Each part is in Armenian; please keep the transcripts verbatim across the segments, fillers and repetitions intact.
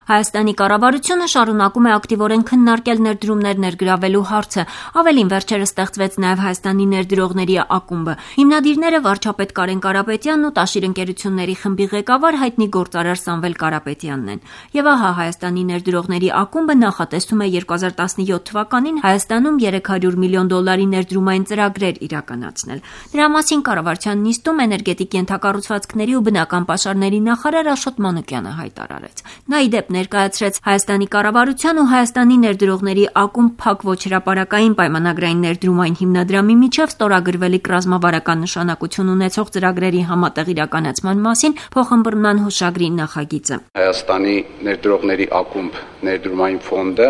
Հայաստանի կառավարությունը շարունակում է ակտիվորեն քննարկել ներդրումներ ներգրավելու հարցը, ավելին վերջերս ստեղծվեց նաև Հայաստանի ներդրողների ակումբը։ Հիմնադիրները վարչապետ Կարեն Կարապետյանն ու Տաշիր ընկերությունների խմբի ղեկավար հայտնի գործարար Սամվել Կարապետյանն են։ Եվ ահա Հայաստանի ներդրողների ակումբը նախատեսում է երկու հազար տասնյոթ թվականին Հայաստանում երեք հարյուր միլիոն դոլարի ներդրումային ծրագրեր իրականացնել։ Դրա մասին կառավարության նիստում էներգետիկ ենթակառուցվածքների ու բնական պաշարների նախարար Աշոտ Մանուկյանը հայտարարեց։ Նա ի դեպ ներկայացրեց Հայաստանի կառավարության ու Հայաստանի ներդրողների ակումբ փակ ոչ հրապարակային պայմանագրային ներդրումային հիմնադրամի միջև ստորագրվելիք ռազմավարական նշանակություն ունեցող ծրագրերի համատեղ իրականացման մասին փոխըմբռնման հուշագրի նախագիծը։ Հայաստանի ներդրողների ակումբ ներդրումային ֆոնդը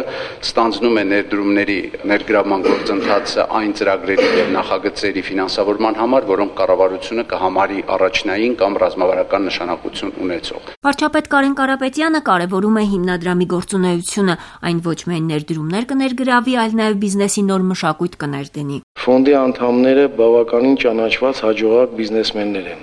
ստանձնում է ներդրումների ներգրավման գործընթացը այն ծրագրերի և նախագծերի ֆինանսավորման համար, որոնք կառավարությունը կհամարի առաջնային կամ ռազմավարական նշանակություն ունեցող։ Վարչապետ Կարեն Կարապետյանը կարևորում է հիմնադրամի գործունեությունը, այն ոչ միայն ներդրումներ կներգրավի, այլ նաև բիզնեսի նոր մշակույթ կներդնի։ Ֆոնդի անդամները բավականին ճանաչված հաջողակ բիզնեսմեններ են,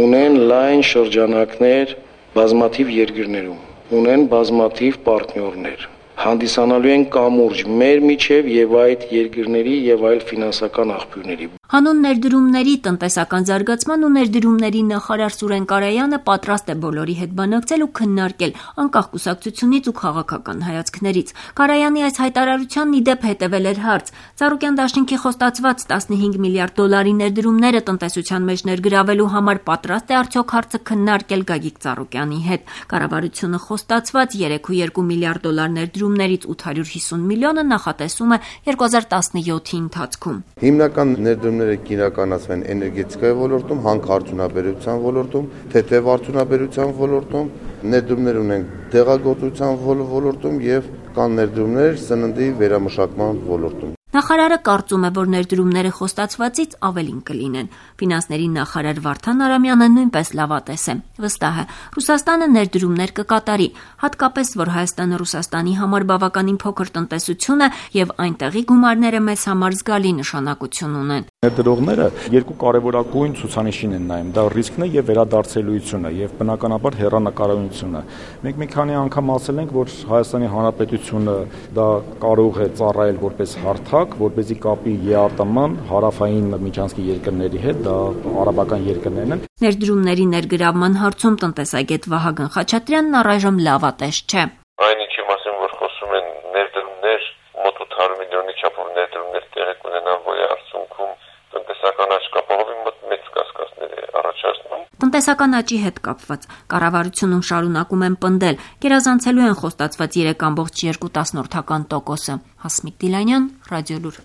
ունեն լայն շրջանակներ բազմաթիվ երկրներում, ունեն բազմաթիվ պարտնյորներ, հանդիսանալու են կամուրջ մեր միջև եւ այդ երկրների եւ այլ ֆինանսական աղբյուրների։ Հանուն ներդրումների, տնտեսական զարգացման ու ներդրումների նախարար Սուրեն Կարայանը պատրաստ է բոլորի հետ բանակցել ու քննարկել, անկախ կուսակցությունից ու քաղաքական հայացքներից։ Կարայանի այս հայտարարությանն ի դեպ հետևել էր հարց. Ծառուկյան դաշինքի խոստացված տասնհինգ միլիարդ դոլարի ներդրումները տնտեսության մեջ ներգրավելու համար պատրաստ է արդյոք հարցը քննարկել Գագիկ Ծառուկյանի հետ։ Կառավարությունը խոստացված երեք կόμμα երկու միլիարդ դոլար ներդրումներից ութ հարյուր հիսուն միլիոնը նախատեսում է երկու հազար տասնյոթի ընթացքում։ Հիմնական ներդրումները կիրականացվեն էներգետիկայի ոլորտում, հանքարդյունաբերության ոլորտում, թեթև արդյունաբերության ոլորտում, ներդրումներ ունենք դեղագործության ոլորտում եւ կան ներդրումներ սննդի վերամշակման ոլորտում։ Նախարարը կարծում է, որ ներդրումները խոստացվածից ավելին կլինեն։ Ֆինանսների նախարար Վարդան Արամյանը նույնպես լավատես է։ Վստահ է, Ռուսաստանը ներդրումներ կկատարի, հատկապես որ Հայաստանը Ռուսաստանի համար բավականին փոքր տնտեսություն է եւ այնտեղի գումարները մեզ համար զգալի նշանակություն ունեն։ Ներդրողները երկու կարևորագույն ցուցանիշին են նայում՝ դա ռիսկն է եւ վերադարձելիությունը եւ բնականաբար հեռանկարությունը։ Մենք մի քանի անգամ ասել ենք, որ Հայաստանի Հանրապետությունը դա կարող է ծառայել որպես հարթակ, որպեսզի կապի ԵԱՏՄ-ն հարավային միջանցքի երկրների հետ, դա արաբական երկրներն են։ Ներդրումների ներգրավման հարցում տնտեսագետ Վահագն Խաչատրյանն առայժմ լավատես չէ։ Այն ինչի մասին որ խոսում են ներդրումներ, մոտ ութ հարյուր միլիոնի չափով ներդրումներ տեղի կունենան, որի արդյունքում տնտեսական աճ կապահովի մոտ մեծ կասկածներ է առաջացնում։ Տնտեսական աճի հետ կապված կառավարությունում շարունակում են պնդել, գերազանցելու են խոստացված երեք կόμма երկու տոկոսը։ Հասմիկ Դիլանյան, Ռադիոլուր։